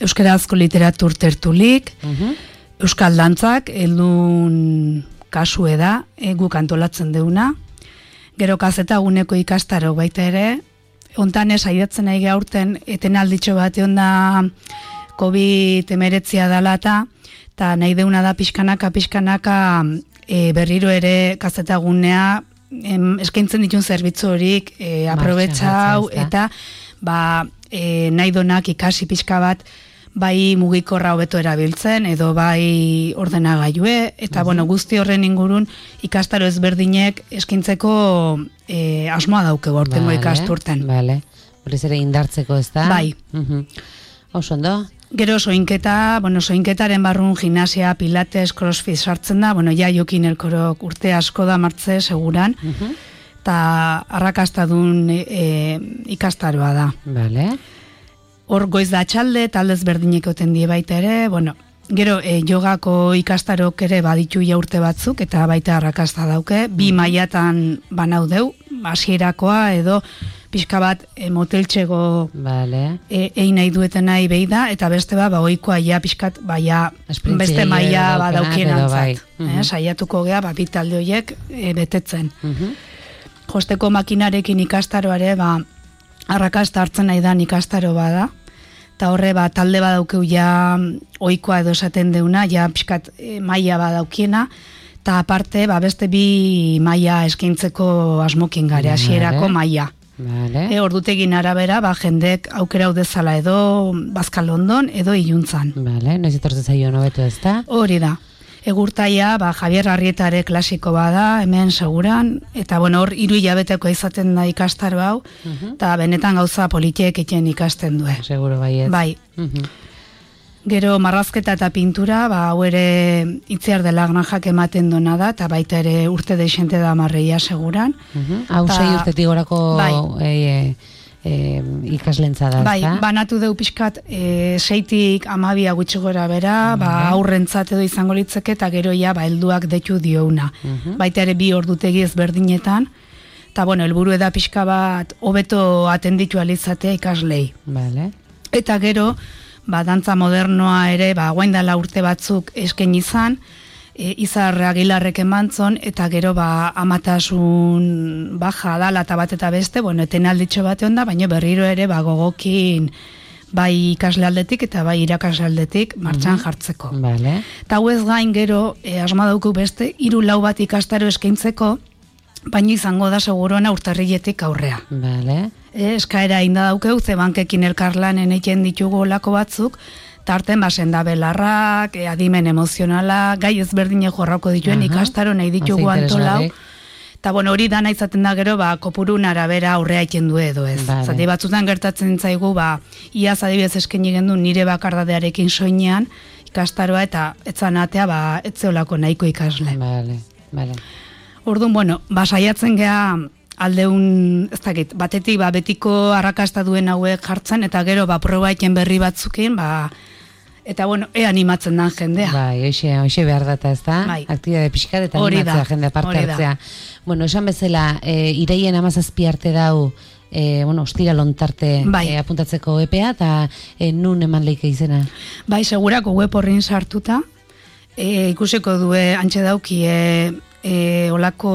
Euskarazko literatur tertulik, Euskal dantzak, heldun kasue da, guk antolatzen deuna. Gero kazetaguneko ikastaro baita ere, ontan saiatzen nahi gaurten, etenalditxo bat egon da COVID-19 dela eta nahi deuna da pixkanaka berriro ere kazetagunea eskaintzen ditun zerbitzu horik aprobetxau eta nahi donak ikasi pixka bat bai mugikorra hobeto erabiltzen edo bai ordenagailue eta guzti horren ingurun ikastaro ezberdinek eskaintzeko asmoa dauke gortengo ikasturten. Vale. Horrez ere indartzeko ez da? Bai. Oso ondo? Gero soinketaren barrun gimnasia, pilates, crossfit sartzen da, ja Jokin Elkorok urte asko da martze seguran, eta arrakastadun ikastaroa da. Vale. Hor goiz da txalde, taldez berdinek oten die baita ere, gero jogako ikastarok ere baditu urte batzuk, eta baita arrakasta dauke, 2 mailatan banaudeu, hasierakoa edo pixka bat moteltxego egin nahi dueten nahi behi da, eta beste ohikoa pixkat beste maila badaukien antzat. Saiatuko gea, bitalde horiek betetzen. Josteko makinarekin ikastaroare, arrakasta hartzen nahi da ikastaro bada, eta horre talde badaukeu ohikoa edo esaten deuna, pixkat maila badaukiena, eta aparte beste 2 maila eskaintzeko asmokin gare, hasierako maila. Ordutegin arabera, jendek aukera udezala edo Bazkal London edo Iluntzan. Noiz etortzen zaio hobeto ez da? Hori da. Egurtaia, Javier Arrietare klasiko bada, hemen seguran, eta hor 3 hilabeteko izaten da ikastaro hau, eta benetan gauza politiek egiten ikasten du. Seguro baiet. Bai. Gero marrazketa eta pintura, hau ere Itziar de la Granjak ematen dona da, eta baita ere urte deixente da marreia seguran. Hau 6 urtetik gorako ikaslentza da, bai, banatu deu pixkat 6tik 12 gutxi gora bera, aurrentzat edo izango litzeke, eta gero helduak detu diouna. Baita ere 2 ordutegi ezberdinetan, eta helburu eda pixka bat hobeto atenditu alizatea ikaslei. Eta gero, dantza modernoa ere, guain dela urte batzuk esken izan, Izar Agilarrek emantzon, eta gero amatasun baja dala eta bat eta beste, etenalditxo bate onda, baina berriro ere gogokin bai ikasle aldetik eta bai irakasle aldetik martxan jartzeko. Eta hau ez gain gero, asma dauku beste, 3-4 bat ikastaro eskaintzeko, baina izango da seguruena urtarriletik aurrea. Eskaera inda daukeu, ze bankekin elkarlanen egiten ditugu olako batzuk, tarten senda belarrak, adimen emozionala, gai ezberdine jorrako dituen ikastaro nahi ditugu antolau. Eta hori dana izaten da gero, kopurun arabera aurrea egiten du edo ez. Zati batzutan gertatzen zaigu, iaz adibidez eskeni gendu nire bakardadearekin soinean ikastaroa eta etzanatea etzeolako nahiko ikasle. Orduan, saiatzen gea aldeun, ez dakit, batetik betiko arrakasta duen hauek jartzen, eta gero proba egiten berri batzukin, eta ea animatzen den jendea. Hoxe behar data ez da, aktibitate pixkat eta animatzea jendea parte hartzea. Esan bezala, iraien 17 arte dau, ostira lontarte apuntatzeko EPA, eta nun eman leike izena? Segurako web horrin sartuta, ikusiko due antxe dauki olako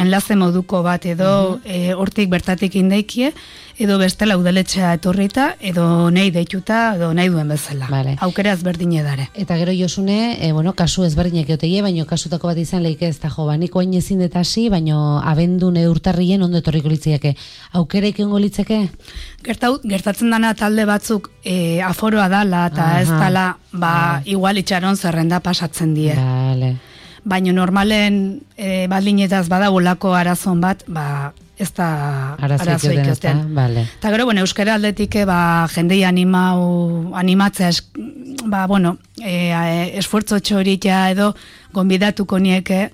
enlaze moduko bat edo hortik bertatik indaikie, edo bestela udaletxea etorrita, edo nahi deituta, edo nahi duen bezala. Aukera ezberdin edare. Eta gero Josune, kasu ezberdinek eotegie, baino kasutako bat izan leike ez da jo, niko hain ezin detasi, baino abendun urtarrien ondo etorriko litzeke. Aukera ikengo litzeke? Gertatzen dana talde batzuk aforoa dala, eta ez dala, igual itxaron zerrenda pasatzen die. Baina normalen baldinetaz badaulako arazon bat, ez da arazoik joten. Eta gero, euskara aldetik jendei animatzea esfuerzo txoritea edo gonbidatuko nieke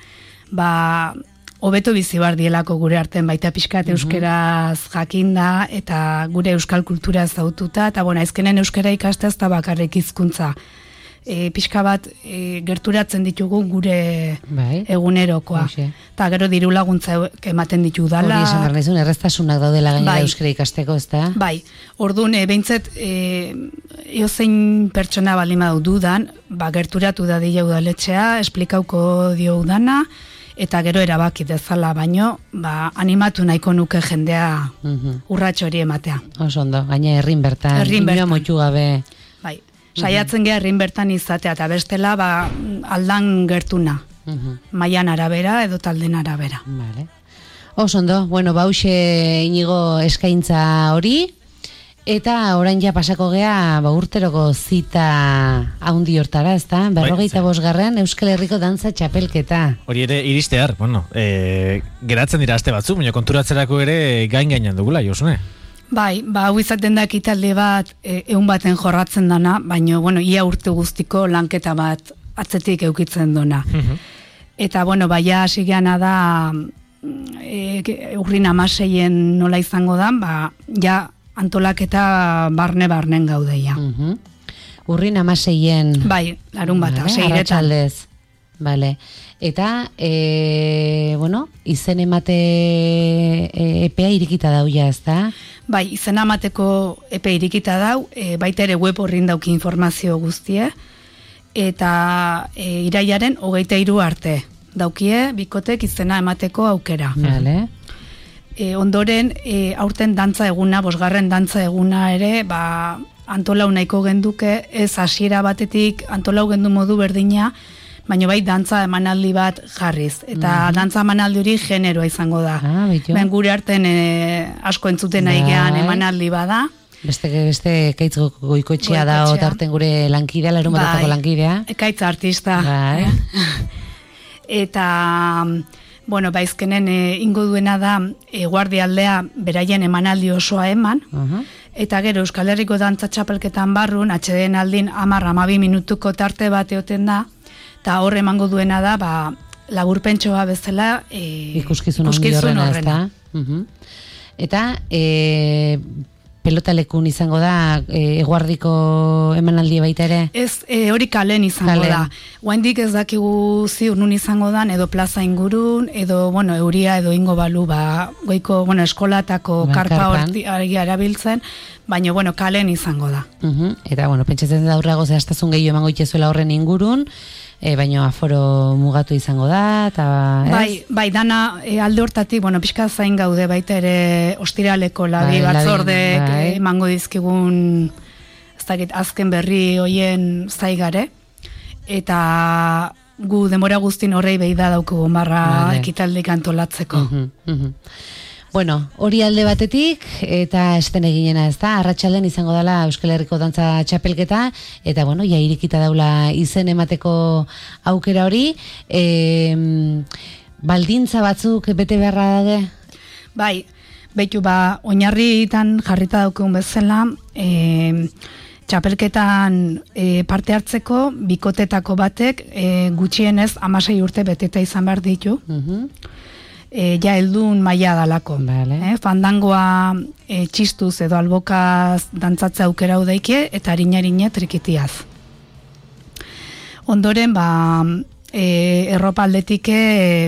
hobeto bizi bar dielako gure arten baita pixkat euskeraz jakinda eta gure euskal kultura ezaututa, eta azkenen euskara ikastea ez da bakarrik hizkuntza. pixka bat gerturatzen ditugu gure egunerokoa. Eta gero diru laguntza ematen ditu dala. Hori esan barnezun, erreztasunak daudela gainera euskara ikasteko, ez da? Bai, orduan, behintzet, eozein pertsona balima dudan, gerturatu da dira udaletxea, esplikauko dio udana, eta gero erabaki dezala, baino, animatu nahiko nuke jendea urratxo hori ematea. Oso ondo, gaina herrin bertan, inoa moitu gabe. Bai, saiatzen geha herrin bertan izatea, eta bestela aldan gertuna, mailan arabera edo talden arabera. Vale. Oso ondo, bueno, bauxe Inigo eskaintza hori, eta orain ja pasako gea urteroko zita haundi hortara, ez da? 45. Euskal Herriko dantza txapelketa. Hori ere iristear, bueno, geratzen dira aste batzu, baina konturatzerako ere gainan dugula, Josune? Bai, hau izaten da ekitaldi bat egun baten jorratzen dana, baina, bueno, ia urte guztiko lanketa bat atzetik eukitzen dona. Eta, bueno, baia hasi geana da urrin 16 nola izango da, ja antolaketa barne-barnen gaudeia. Urrin 16. Bai, larun bat, arratsaldez. Vale. Eta, bueno, izen emate epea irikita dau ja, ez da? Bai, izen emateko epe irikita dau, baita ere web horrin dauki informazio guztie, eta irailaren 23 arte daukie, bikotek izena emateko aukera. Vale. Ondoren, aurten dantza eguna, 5. dantza eguna ere, antolau nahiko genduke, ez hasiera batetik antolau gendu modu berdina, baina bai dantza emanaldi bat jarriz. Eta dantza emanaldi hori generoa izango da. Ben gure arten asko entzuten aigean emanaldi bada. Beste Ekaitz Goikoetxea da, otarten gure lankidea, larun batetako lankidea. Ekaitz artista. Eta, bueno, baizkenen ingo duena da guardialdea beraien emanaldi osoa eman, eta gero Euskal Herriko dantza txapelketan barrun, atxeden aldin 10-12 minutuko tarte bat eoten da, eta hor emango duena da, laburpentsoa bezala ikuskizun horrena. Eta pelotalekun izango da eguardiko emanaldi baita ere? Ez, hori kalen izango da. Oaindik ez dakigu ziur nun izango dan, edo plaza ingurun, edo, bueno, euria edo ingo balu, goiko, bueno, eskolatako karpa hori erabiltzen, baina, bueno, kalen izango da. Eta, bueno, pentsatzen da aurrago zehaztazun gehiago emango itxezuela horren ingurun, baina aforo mugatu izango da, eta... Bai, dana alde hortatik, bueno, pixka zain gaude baita ere ostiraleko labi batzordek emango dizkigun, ez dakit, azken berri hoien zaigare, eta gu denbora guztin horrei behi da daukugun barra ekitaldik antolatzeko. Bueno, hori alde batetik, eta esten eginena, ez da, arratsalden izango dela Euskal Herriko dantza txapelketa, eta, bueno, ja irikita daula izen emateko aukera hori, baldintza batzuk bete beharra daude? Bai, behitu, oinarritan jarrita daukegun bezala, txapelketan parte hartzeko, bikotetako batek, gutxienez 16 urte beteta izan behar ditu, ja heldun maila dalako. Fandangoa txistuz edo albokaz dantzatza aukera udaike, eta harina trikitiaz. Ondoren, erropa aldetik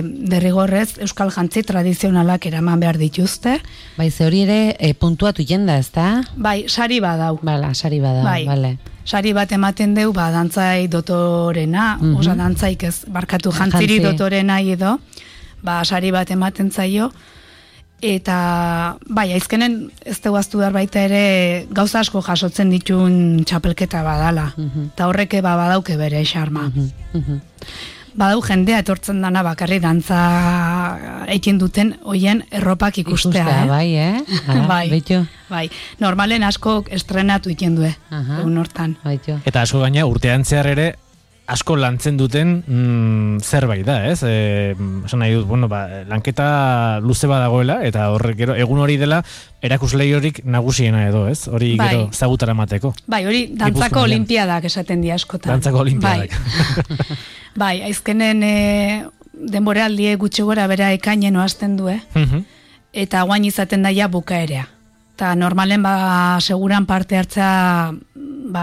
derrigorrez Euskal jantzi tradizionalak eraman behar dituzte. Bai, ze hori ere puntuatu jenda, ez da? Bai, sari badau. Sari badau, bale. Sari bat ematen deu, dantzai dotorena, oza, dantzaik ez, barkatu jantziri dotorena edo, sari bat ematen zaio, eta aizkenen ez teguaztu behar baita ere gauza asko jasotzen ditun txapelketa badala, eta horreke badauke bere xarma. Badau jendea etortzen dana bakarri dantza eikin duten hoien erropak ikustea. Bai, normalen asko estrenatu ikin due, egun hortan. Eta asko gaina urtean zehar ere, asko lantzen duten zerbait da, ez? Esan nahi dut, bueno, lanketa luze badagoela, eta horrek gero, egun hori dela, erakuslei horik nagusiena edo, ez? Hori gero zagutara mateko. Bai, hori dantzako olimpiadak esaten di askotan. Dantzako olimpiadak. Bai, aizkenen denboraldie gutxi gora bera ekainen oazten du, eta guain izaten daia bukaerea. eta normalen seguran parte hartzea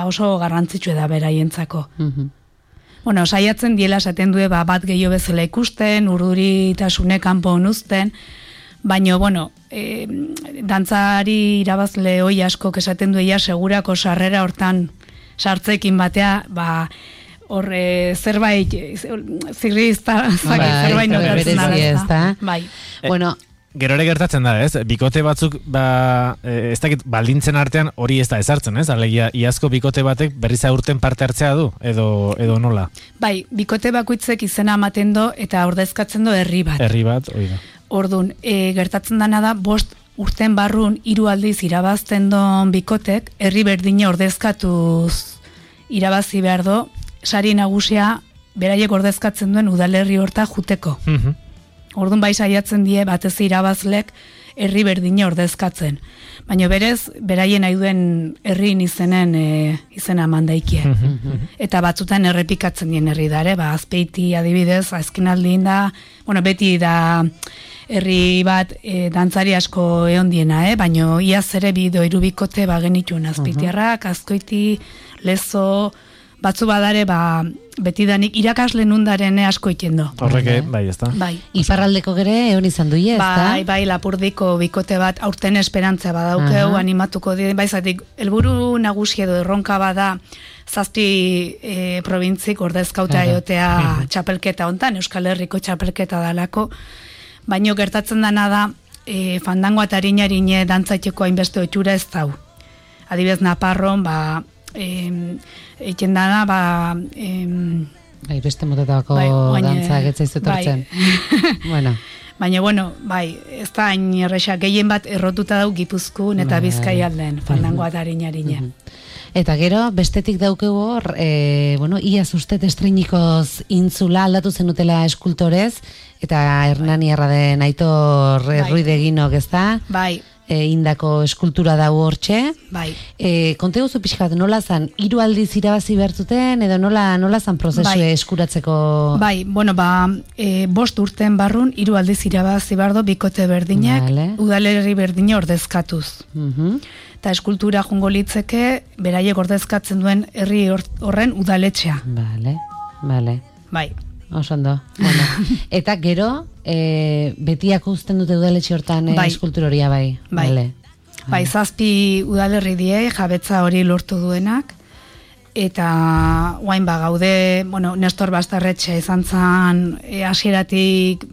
oso garrantzitsua da beraientzako. Bueno, saiatzen diela esaten du bat gehiago bezala ikusten, urduritasune kanpo onuzten, baina, bueno, dantzari irabazle hoi asko esaten duia segurako sarrera hortan sartzekin batea, zerbait zirrizta zerbait notatzen da. Bai. Bueno, gero ere gertatzen da, ez? Bikote batzuk, ez dakit, baldintzen artean hori ez da ezartzen, ez? Alegia, iazko bikote batek berriz aurten parte hartzea du, edo nola? Bai, bikote bakoitzek izena ematen do, eta ordezkatzen do herri bat. Herri bat, hori da. Ordun, gertatzen dana da, 5 urten barrun 3 aldiz irabazten don bikotek, herri berdine ordezkatuz irabazi behar do, sari nagusia beraiek ordezkatzen duen udalerri horta juteko. Orduan bai saiatzen die batez irabazlek herri berdine ordezkatzen. Baina berez, beraien nahi duen herrin izena mandaikie. Eta batzutan errepikatzen dien herri dare, Azpeiti adibidez, azkenaldin da, beti da herri bat dantzari asko egon diena, baina iaz ere bido irubikote genituen Azpeitiarrak, Azkoiti, Lezo, batzu badare, beti danik irakasle nundaren asko ikendo. Horreke, bai, ez da. Bai. Iparraldeko gere egon izan duie, ez da? Bai, Lapurdiko bikote bat aurten esperantza badaukeu, animatuko dira, zatik, helburu nagusi edo erronka bada, 7 probintzik ordezkauta egotea txapelketa hontan, Euskal Herriko txapelketa dalako, baino gertatzen dana da, fandango eta harine dantzatxeko hainbeste otxura ez dau. Adibidez, Naparron, eiken dana, beste motetako dantza getzaizut hortzen. Bueno. Baina, ez da hain erresa, gehien bat errotuta dau Gipuzkoan eta Bizkai aldean, fandango eta harine. Eta gero, bestetik daukegu hor, iaz ustet estreinikoz intzula aldatu zenutela eskultorez, eta Hernaniarra den Aitor Ruideginok, ez da? Bai. Indako eskultura dago hortxe. Bai. Konte guzu pixkat, nola zan, 3 aldiz irabazi behartzuten, edo nola zan prozesu eskuratzeko? Bai, 5 urten barrun, 3 aldiz irabazi bardo bikote berdinek, udalerri berdine ordezkatuz. Eta eskultura jungo litzeke, beraiek ordezkatzen duen herri horren udaletxea. Bale. Bai. Osondo. Eta gero, betiak uzten dute udaletxe hortan eskultura horia, bai. Bai, 7 udalerri die, jabetza hori lortu duenak, eta guain gaude, Nestor Bastarretxe izan zan hasieratik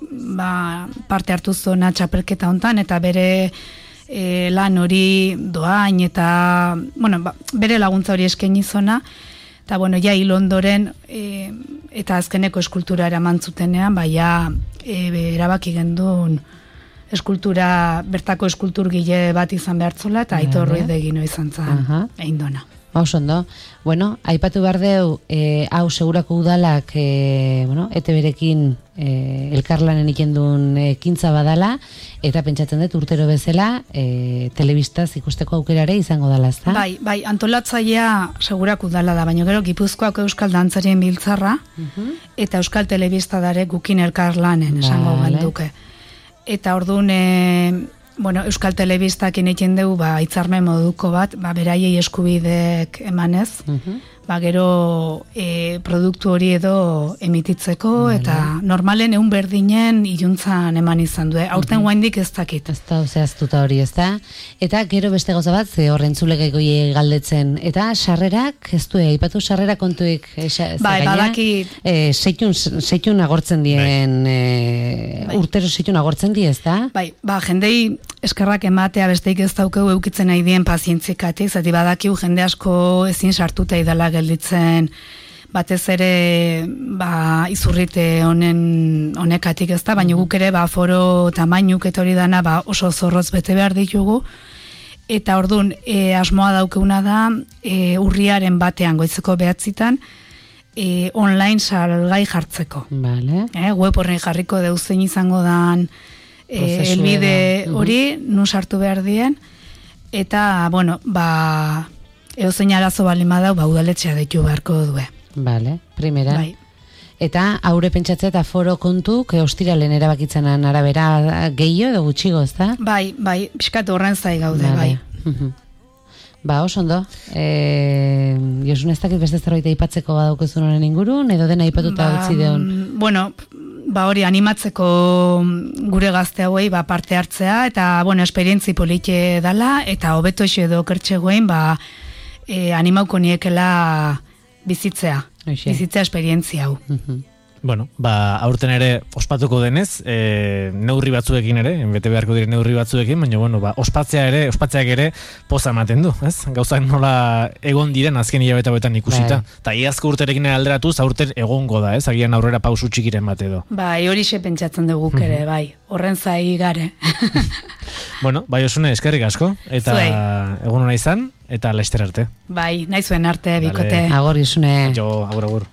parte hartu zuena txapelketa hontan, eta bere lan hori doain, eta bere laguntza hori eskaini zona, eta ja hil ondoren, eta azkeneko eskultura eraman zutenean, erabaki gendun eskultura, bertako eskulturgile bat izan behartzola, eta Aitor Ruidegino izan zan, egin dona. Osondo. Aipatu behar deu, hau segurako udalak, ete berekin elkarlanen ikendun ekintza badala, eta pentsatzen dut urtero bezala, telebistaz ikusteko aukerare izango dala, ezta? Bai, antolatzailea segurako udala da, baina gero Gipuzkoako Euskal Dantzarien Biltzarra, eta Euskal Telebista dare gukin elkarlanen, esango genduke. Eta orduan, Euskal Telebistak egiten dugu hitzarmen moduko bat, beraiei eskubidek emanez, gero produktu hori edo emititzeko, eta normalen egun berdinen iluntzan eman izan du. Aurten guaindik ez dakit. Ez da, zehaztuta hori, ez da? Eta gero beste gauza bat, ze horren zulegekoi galdetzen. Eta sarrerak, ez du, aipatu sarrera kontuik, badakit. Seitun agortzen dien, urtero seitun agortzen di, ez da? Jendei eskerrak ematea besteik ez daukeu eukitzen nahi dien pazientzikatik, zati badakiu jende asko ezin sartuta idala gelditzen, batez ere izurrite honekatik ez da, baina guk ere foro tamainuk eta hori dana oso zorroz bete behar ditugu, eta orduan asmoa daukeuna da urriaren batean goizeko 9:00 online salgai jartzeko. Web horren jarriko deuzein izango dan elbide hori, nun sartu behar dien, eta, edozein arazo balin badau, udaletxea deitu beharko due. Primera. Eta aurre pentsatzea eta foro kontu, ostiralen erabakitzen arabera gehiago edo gutxigo, ez da? Bai, pixkatu horren zai gaude, Ba, oso ondo. Josune, ez dakit beste zerbait aipatzeko badaukezun honen ingurun, edo dena aipatuta utzi deon? Bueno, hori animatzeko gure gazte hauei parte hartzea, eta, esperientzi politxe dala, eta hobeto edo kertxegoen, animauko niekela bizitzea esperientzia hau. Bueno, aurten ere ospatuko denez, neurri batzuekin ere, bete beharko dire neurri batzuekin, baina, ospatzeak ere poza ematen du, ez? Gauzak nola egon diren azken hilabete hauetan ikusita. Ta iazko urterekin alderatuz, aurten egongo da, ez? Agian aurrera pausu txikiren bat edo. Horixe pentsatzen dugu ere, horren zai gare. Bueno, Josune, eskerrik asko, eta egun hona izan, eta laster arte. Nahi zuen arte, bikote. Agor, Josune. Agur.